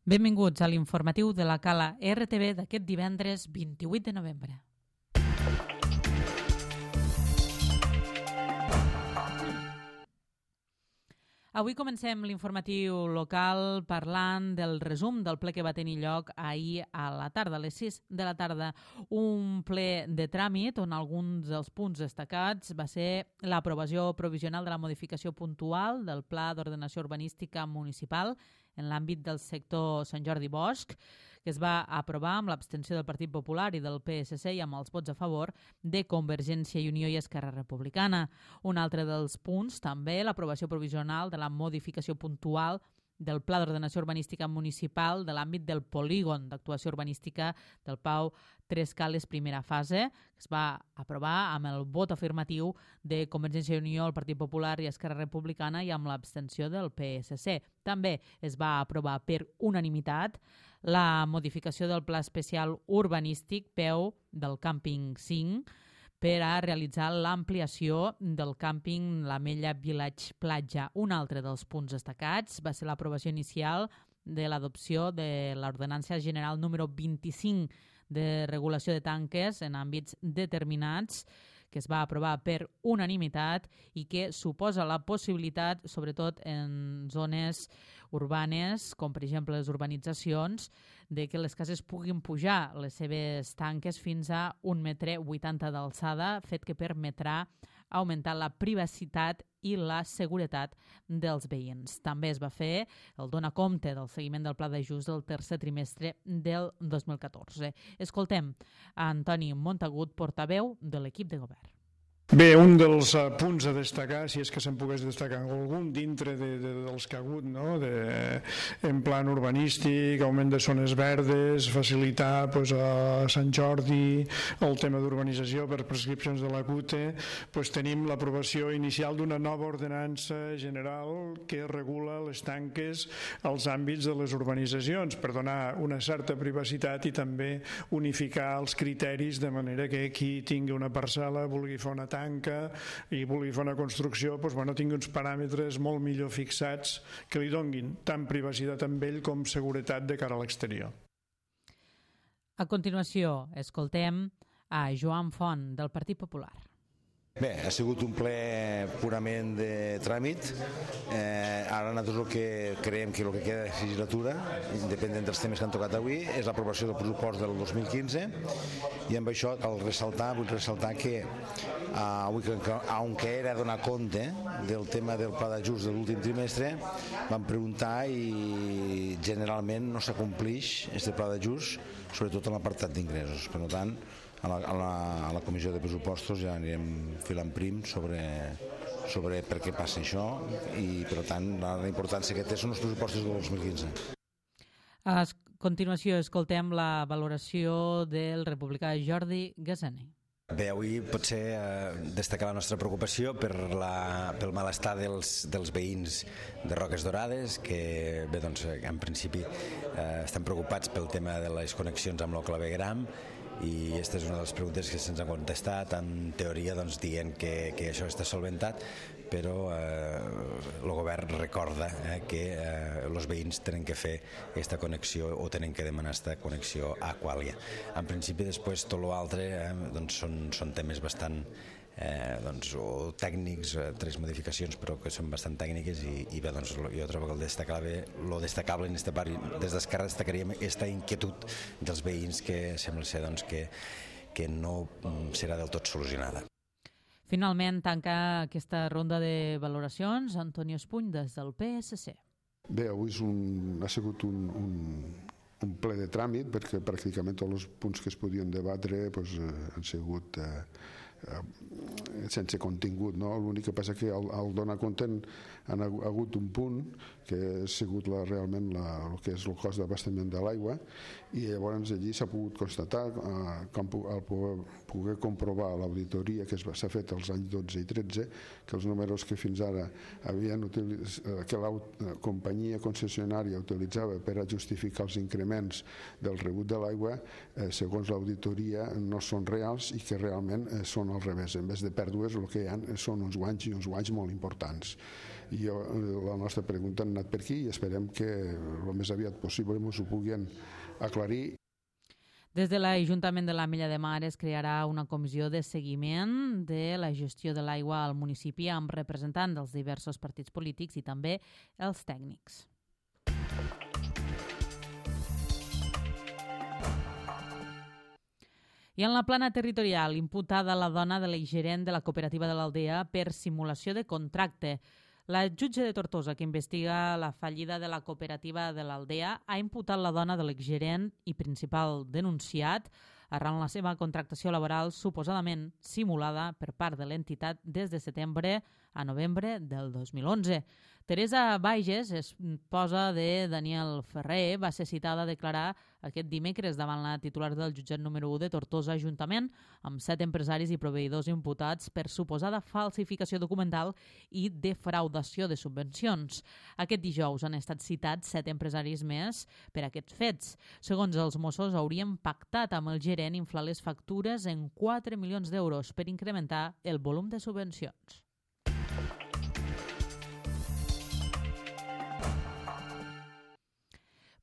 Benvinguts a l'informatiu de la Cala RTV d'aquest divendres 28 de novembre. Avui comencem l'informatiu local parlant del resum del ple que va tenir lloc ahir a la tarda, a les 6 de la tarda. Un ple de tràmit on alguns dels punts destacats va ser l'aprovació provisional de la modificació puntual del Pla d'Ordenació Urbanística Municipal en l'àmbit del sector Sant Jordi Bosc, que es va aprovar amb l'abstenció del Partit Popular i del PSC i amb els vots a favor de Convergència i Unió i Esquerra Republicana. Un altre dels punts, també, l'aprovació provisional de la modificació puntual del Pla d'Ordenació Urbanística Municipal de l'àmbit del polígon d'actuació urbanística del Pau Tres Cales primera fase, que es va aprovar amb el vot afirmatiu de Convergència i Unió, el Partit Popular i Esquerra Republicana i amb l'abstenció del PSC. També es va aprovar per unanimitat la modificació del Pla Especial Urbanístic PEU del Càmping 5 per a realitzar l'ampliació del càmping l'Ametlla Village Platja. Un altre dels punts destacats va ser l'aprovació inicial de l'adopció de l'Ordenança General número 25 de regulació de tanques en àmbits determinats, que es va aprovar per unanimitat i que suposa la possibilitat, sobretot en zones urbanes, com per exemple les urbanitzacions, de que les cases puguin pujar les seves tanques fins a 1,80 m d'alçada, fet que permetrà augmentar la privacitat i la seguretat dels veïns. També es va fer el donar compte del seguiment del pla d'ajust del tercer trimestre del 2014. Escoltem a Antoni Montagut, portaveu de l'equip de govern. Bé, un dels punts a destacar, si és que se'n pogués destacar algun dintre dels que ha hagut, no? En plan urbanístic, augment de zones verdes, facilitar a Sant Jordi el tema d'urbanització per prescripcions de la CUTE, tenim l'aprovació inicial d'una nova ordenança general que regula les tanques als àmbits de les urbanitzacions per donar una certa privacitat i també unificar els criteris de manera que qui tingui una parcel·la vulgui fer una tanca i vulgui fer una construcció tingui uns paràmetres molt millor fixats que li donguin tant privacitat amb ell com seguretat de cara a l'exterior. A continuació, escoltem a Joan Font, del Partit Popular. Bé, ha sigut un ple purament de tràmit. Ara nosaltres el que creiem que el que queda de legislatura, independent dels temes que han tocat avui, és l'aprovació del pressupost del 2015 i amb això vull ressaltar que aunque era donar compte del tema del pla d'ajust de l'últim trimestre, vam preguntar i generalment no s'acomplix aquest pla d'ajust, sobretot en l'apartat d'ingressos. Per tant, a la comissió de pressupostos ja anirem filant prim sobre per què passa això i per tant la importància que té són els pressupostos del 2015. A continuació escoltem la valoració del republicà Jordi Gazaner. Bé, avui potser destacar la nostra preocupació pel malestar dels veïns de Roques Dorades, que bé, doncs, en principi estan preocupats pel tema de les connexions amb el clavegram i aquesta és una de les preguntes que se'ns han contestat, en teoria dient que això està solventat, però el govern recorda que els veïns tenen que fer aquesta connexió o tenen que demanar aquesta connexió a Aquàlia. En principi, després, tot l'altre són temes bastant o tècnics, tres modificacions però que són bastant tècniques i bé, jo trobo que lo destacable en aquesta part, des d'Esquerra destacaríem aquesta inquietud dels veïns que sembla ser que no serà del tot solucionada. Finalment tanca aquesta ronda de valoracions Antonio Espuny des del PSC. Bé, avui ha sigut un ple de tràmit perquè pràcticament tots els punts que es podien debatre han sigut sense contingut, no? L'únic que passa que al donar compte han hagut un punt que ha sigut realment el que és el cost d'abastament de l'aigua i llavors allí s'ha pogut constatar al poder comprovar l'auditoria que s'ha fet els anys 12 i 13 que els números que fins ara que la companyia concessionària utilitzava per a justificar els increments del rebut de l'aigua segons l'auditoria no són reals i que realment són al revés. En vez de pèrdues el que hi ha són uns guanys i uns guanys molt importants. i la nostra pregunta ha anat per aquí i esperem que el més aviat possible ens ho puguin aclarir. Des de l'Ajuntament de l'Ametlla de Mar es crearà una comissió de seguiment de la gestió de l'aigua al municipi amb representants dels diversos partits polítics i també els tècnics. I en la plana territorial, imputada la dona de l'exgerent de la cooperativa de l'Aldea per simulació de contracte. La jutge de Tortosa, que investiga la fallida de la cooperativa de l'Aldea, ha imputat la dona de l'exgerent i principal denunciat arran la seva contractació laboral suposadament simulada per part de l'entitat des de setembre a novembre del 2011. Teresa Baiges, esposa de Daniel Ferrer, va ser citada a declarar aquest dimecres davant la titular del jutjat número 1 de Tortosa, juntament amb 7 empresaris i proveïdors imputats per suposada falsificació documental i defraudació de subvencions. Aquest dijous han estat citats 7 empresaris més per aquests fets. Segons els Mossos, haurien pactat amb el gerent inflar les factures en 4 milions d'euros per incrementar el volum de subvencions.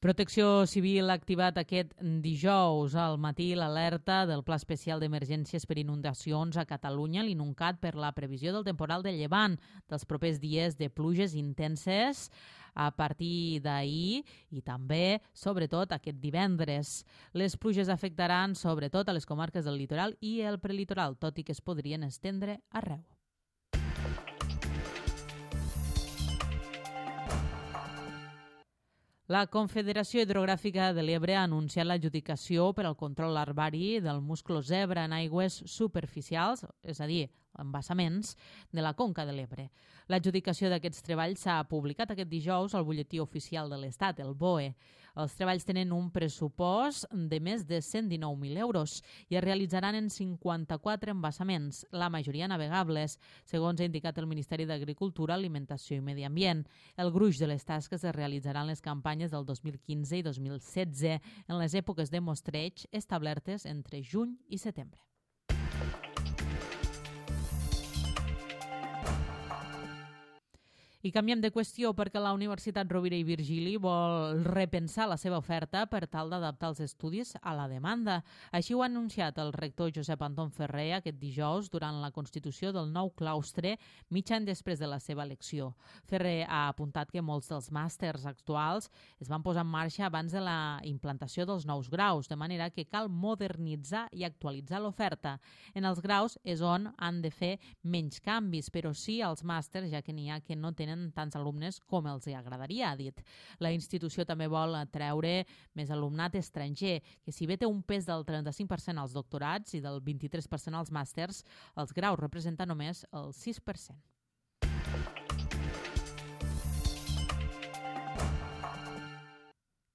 Protecció Civil ha activat aquest dijous al matí l'alerta del Pla Especial d'Emergències per Inundacions a Catalunya, l'INUNCAT, per la previsió del temporal de llevant dels propers dies de pluges intenses a partir d'ahir i també, sobretot, aquest divendres. Les pluges afectaran sobretot a les comarques del litoral i el prelitoral, tot i que es podrien estendre arreu. La Confederació Hidrogràfica de l'Ebre ha anunciat l'adjudicació per al control larvari del musclo zebra en aigües superficials, és a dir, embassaments, de la Conca de l'Ebre. L'adjudicació d'aquests treballs s'ha publicat aquest dijous al butlletí oficial de l'Estat, el BOE. Els treballs tenen un pressupost de més de 119.000 euros i es realitzaran en 54 embassaments, la majoria navegables, segons ha indicat el Ministeri d'Agricultura, Alimentació i Medi Ambient. El gruix de les tasques es realitzaran en les campanyes del 2015 i 2016, en les èpoques de mostreig establertes entre juny i setembre. I canviem de qüestió perquè la Universitat Rovira i Virgili vol repensar la seva oferta per tal d'adaptar els estudis a la demanda. Així ho ha anunciat el rector Josep Anton Ferrer aquest dijous durant la constitució del nou claustre, mig any després de la seva elecció. Ferrer ha apuntat que molts dels màsters actuals es van posar en marxa abans de la implantació dels nous graus, de manera que cal modernitzar i actualitzar l'oferta. En els graus és on han de fer menys canvis, però sí als màsters, ja que n'hi ha que no tenen tants alumnes com els agradaria, ha dit. La institució també vol atreure més alumnat estranger, que si bé té un pes del 35% als doctorats i del 23% als màsters, els graus representen només el 6%.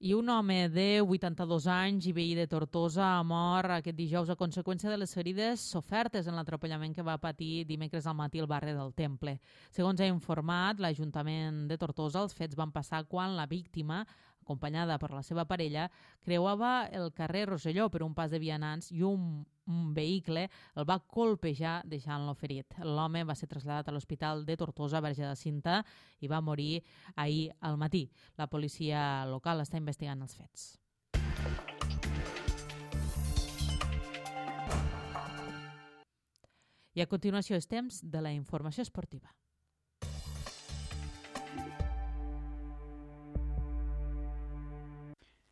I un home de 82 anys i veí de Tortosa ha mort aquest dijous a conseqüència de les ferides sofertes en l'atropellament que va patir dimecres al matí al barri del Temple. Segons ha informat l'Ajuntament de Tortosa, els fets van passar quan la víctima, acompanyada per la seva parella, creuava el carrer Rosselló per un pas de vianants i un vehicle el va colpejar deixant-lo ferit. L'home va ser traslladat a l'Hospital de Tortosa Verge de Cinta i va morir ahir al matí. La policia local està investigant els fets. I a continuació és temps de la informació esportiva.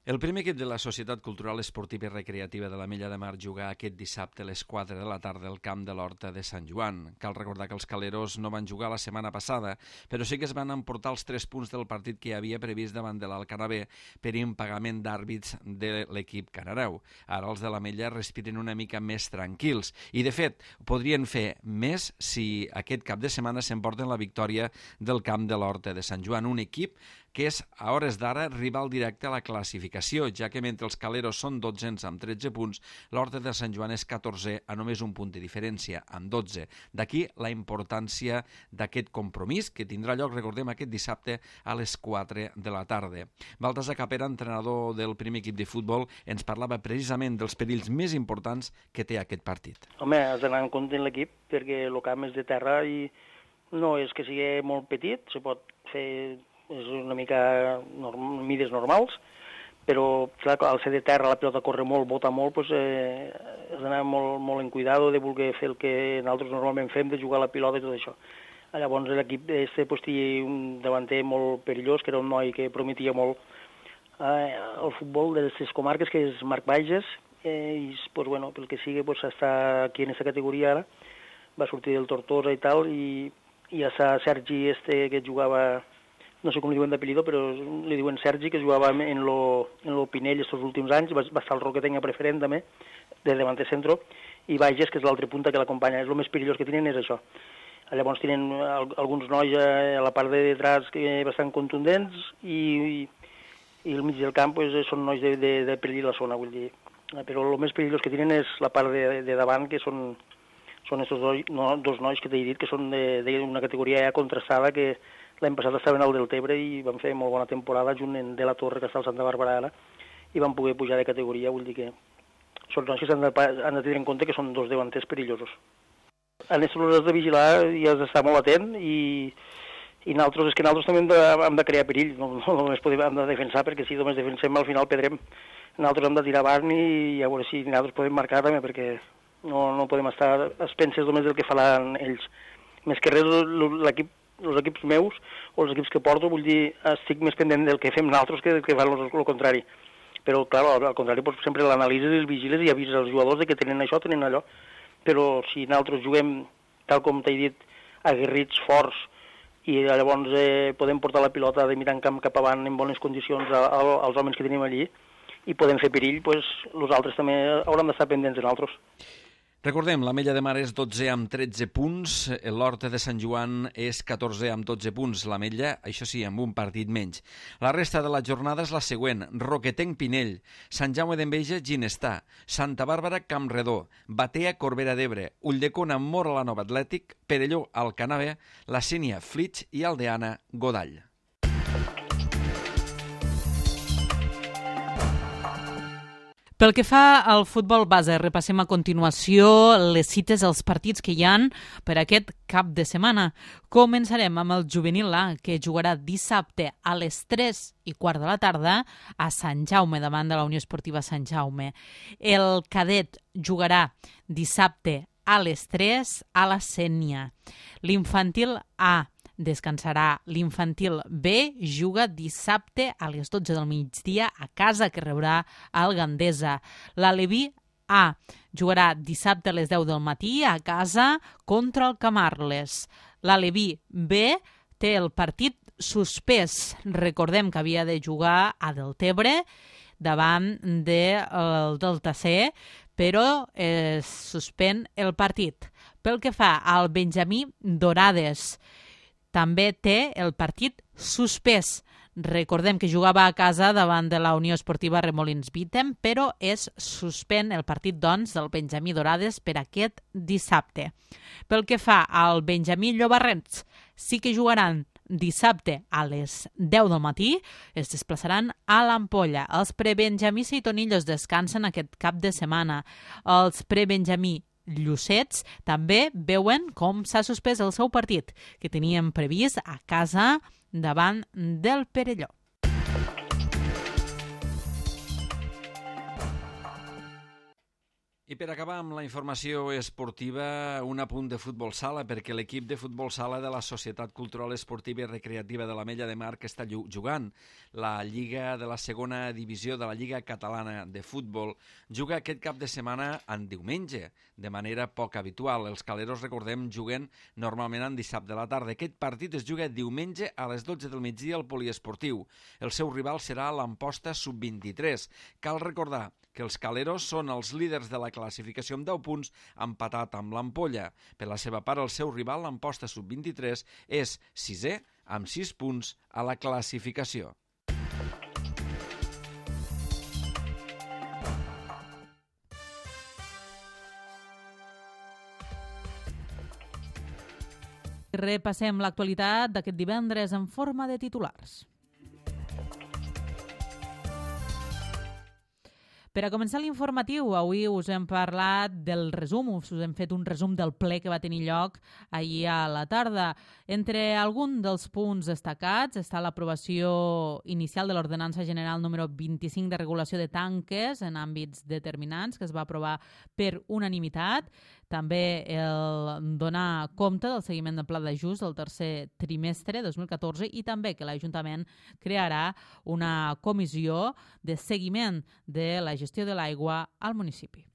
El primer equip de la Societat Cultural Esportiva i Recreativa de l'Ametlla de Mar jugà aquest dissabte a les 4 de la tarda al camp de l'Horta de Sant Joan. Cal recordar que els caleros no van jugar la setmana passada, però sí que es van emportar els 3 punts del partit que hi havia previst davant de l'Alcanabé per impagament d'àrbits de l'equip canareu. Ara els de l'Ametlla respiren una mica més tranquils i, de fet, podrien fer més si aquest cap de setmana s'emporten la victòria del camp de l'Horta de Sant Joan, un equip que és, a hores d'ara, rival directe a la classificació, ja que mentre els caleros són 12 amb 13 punts, l'Horta de Sant Joan és 14 a només un punt de diferència, amb 12. D'aquí la importància d'aquest compromís, que tindrà lloc, recordem, aquest dissabte a les 4 de la tarda. Baltasar Capera, entrenador del primer equip de futbol, ens parlava precisament dels perills més importants que té aquest partit. Home, has d'anar en compte en l'equip, perquè el camp és de terra i no és que sigui molt petit, se pot fer, és una mica mides normals, però clar, al ser de terra la pilota corre molt, bota molt, doncs, has d'anar molt en cuidado de voler fer el que nosaltres normalment fem, de jugar a la pilota i tot això. Llavors l'equip tenia un davanter molt perillós, que era un noi que prometia molt el futbol de les comarques, que és Marc Bages, i pues, bueno, pel que sigui pues, està aquí en aquesta categoria ara, va sortir del Tortosa i tal, i està Sergi que jugava, no sé com li diuen d'apellido, però li diuen Sergi, que jugava en lo Pinell estos últims anys, va estar el Roquetenc a preferent també, de davanter centro, i Bages, que és l'altre punta que l'acompanya. És el més perillós que tenen, és això. Llavors tenen alguns nois a la part de detrás bastant contundents i al mig del camp pues, són nois de perillir la zona, vull dir. Però el més perillós que tenen és la part de davant, que són estos dos nois que t'he dit, que són d'una categoria ja contrastada, que l'any passat estaven al Deltebre i van fer molt bona temporada junt de la Torre, que està al Santa Bàrbara ara, i van poder pujar de categoria, vull dir que són nois que s'han de tenir en compte que són dos davanters perillosos. En aquests has de vigilar i has d'estar molt atent i nosaltres, és que nosaltres també hem de crear perill, no només hem de defensar, perquè si només defensem al final perdrem. Nosaltres hem de tirar avant i a veure si nosaltres podem marcar també, perquè no podem estar a expenses només del que faran ells. Més que res, els equips meus o els equips que porto, vull dir, estic més pendent del que fem nosaltres que del que fan el contrari. Però, clar, al contrari, doncs, sempre l'analitzes i els vigiles i avises als jugadors de que tenen això, tenen allò. Però si nosaltres juguem, tal com t'he dit, aguerrits, forts, i llavors podem portar la pilota de mirar en camp cap avant en bones condicions als homes que tenim allí i podem fer perill, doncs nosaltres també haurem d'estar pendents de nosaltres. Recordem, l'Ametlla de Mar és 12 amb 13 punts, l'Horta de Sant Joan és 14 amb 12 punts, l'Ametlla, això sí, amb un partit menys. La resta de la jornada és la següent: Roquetenc Pinell, Sant Jaume d'Enveja Ginestà, Santa Bàrbara Campredó, Batea Corbera d'Ebre, Ulldecona Móra la Nova Atlètic, Perelló Alcanave, La Sénia Flix i Aldeana Godall. Pel que fa al futbol base, repassem a continuació les cites als partits que hi han per aquest cap de setmana. Començarem amb el juvenil A, que jugarà dissabte a les 3:15 de la tarda a Sant Jaume, davant de la Unió Esportiva Sant Jaume. El cadet jugarà dissabte a les 3 a la Sénia. L'infantil A descansarà. L'infantil B juga dissabte a les 12 del migdia a casa, que rebrà el Gandesa. L'Aleví A jugarà dissabte a les 10 del matí a casa contra el Camarles. L'Aleví B té el partit suspès. Recordem que havia de jugar a Deltebre davant del Delta C, però es suspèn el partit. Pel que fa al Benjamí Dorades, també té el partit suspès. Recordem que jugava a casa davant de la Unió Esportiva Remolins Vítem, però es suspèn el partit, doncs, del Benjamí Dorades per aquest dissabte. Pel que fa al Benjamí Llobarrens, sí que jugaran dissabte a les 10 del matí, es desplaçaran a l'Ampolla. Els prebenjamí Seitonillos descansen aquest cap de setmana. Els prebenjamí Llucets també veuen com s'ha suspès el seu partit, que tenien previst a casa davant del Perelló. I per acabar amb la informació esportiva, un apunt de futbol sala, perquè l'equip de futbol sala de la Societat Cultural Esportiva i Recreativa de l'Ametlla de Mar, que està jugant la Lliga de la segona divisió de la Lliga Catalana de Futbol, juga aquest cap de setmana en diumenge, de manera poc habitual. Els caleros, recordem, juguen normalment en dissabte a la tarda. Aquest partit es juga diumenge a les 12 del migdia al poliesportiu. El seu rival serà l'Amposta Sub-23. Cal recordar que els caleros són els líders de la classificació amb 10 punts, empatat amb l'Ampolla. Per la seva part, el seu rival, l'Amposta Sub-23, és 6è amb 6 punts a la classificació. Repassem l'actualitat d'aquest divendres en forma de titulars. Per a començar l'informatiu, avui us hem parlat del resum, us hem fet un resum del ple que va tenir lloc ahir a la tarda. Entre alguns dels punts destacats està l'aprovació inicial de l'Ordenança General número 25 de regulació de tanques en àmbits determinants, que es va aprovar per unanimitat. També el donar compte del seguiment del pla d'ajust del tercer trimestre 2014 i també que l'Ajuntament crearà una comissió de seguiment de la gestió de l'aigua al municipi.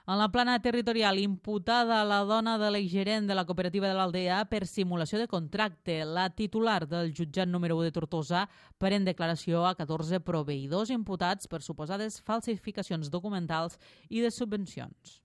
En la plana territorial, imputada la dona de l'exgerent de la cooperativa de l'Aldea per simulació de contracte. La titular del jutjat número 1 de Tortosa pren declaració a 14 proveïdors imputats per suposades falsificacions documentals i de subvencions.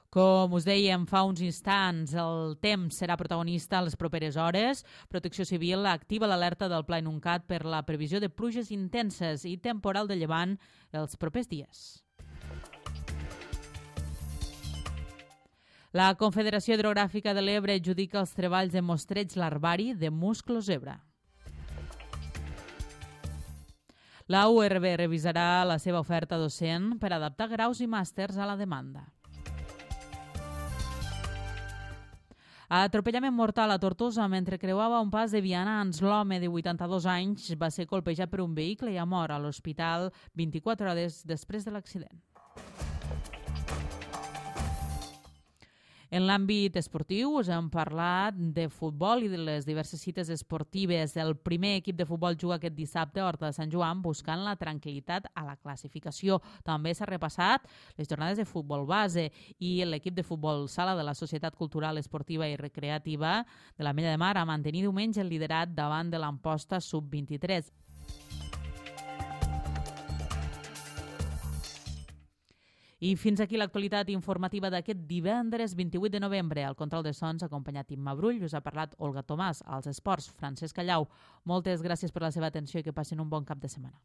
Com us dèiem fa uns instants, el temps serà protagonista a les properes hores. Protecció Civil activa l'alerta del Pla Inuncat per la previsió de pluges intenses i temporal de llevant els propers dies. La Confederació Hidrogràfica de l'Ebre adjudica els treballs de mostreig larvari de musclo zebra. La URB revisarà la seva oferta docent per adaptar graus i màsters a la demanda. Atropellament mortal a Tortosa mentre creuava un pas de vianants. L'home de 82 anys va ser colpejat per un vehicle i ha mort a l'hospital 24 hores després de l'accident. En l'àmbit esportiu us hem parlat de futbol i de les diverses cites esportives. El primer equip de futbol juga aquest dissabte a Horta de Sant Joan buscant la tranquil·litat a la classificació. També s'ha repassat les jornades de futbol base i l'equip de futbol sala de la Societat Cultural, Esportiva i Recreativa de l'Ametlla de Mar a mantenir diumenge el liderat davant de l'Amposta Sub-23. I fins aquí l'actualitat informativa d'aquest divendres 28 de novembre. Al control de sons, acompanyat Imma Brull, us ha parlat Olga Tomàs. Als esports, Francesc Callau. Moltes gràcies per la seva atenció i que passin un bon cap de setmana.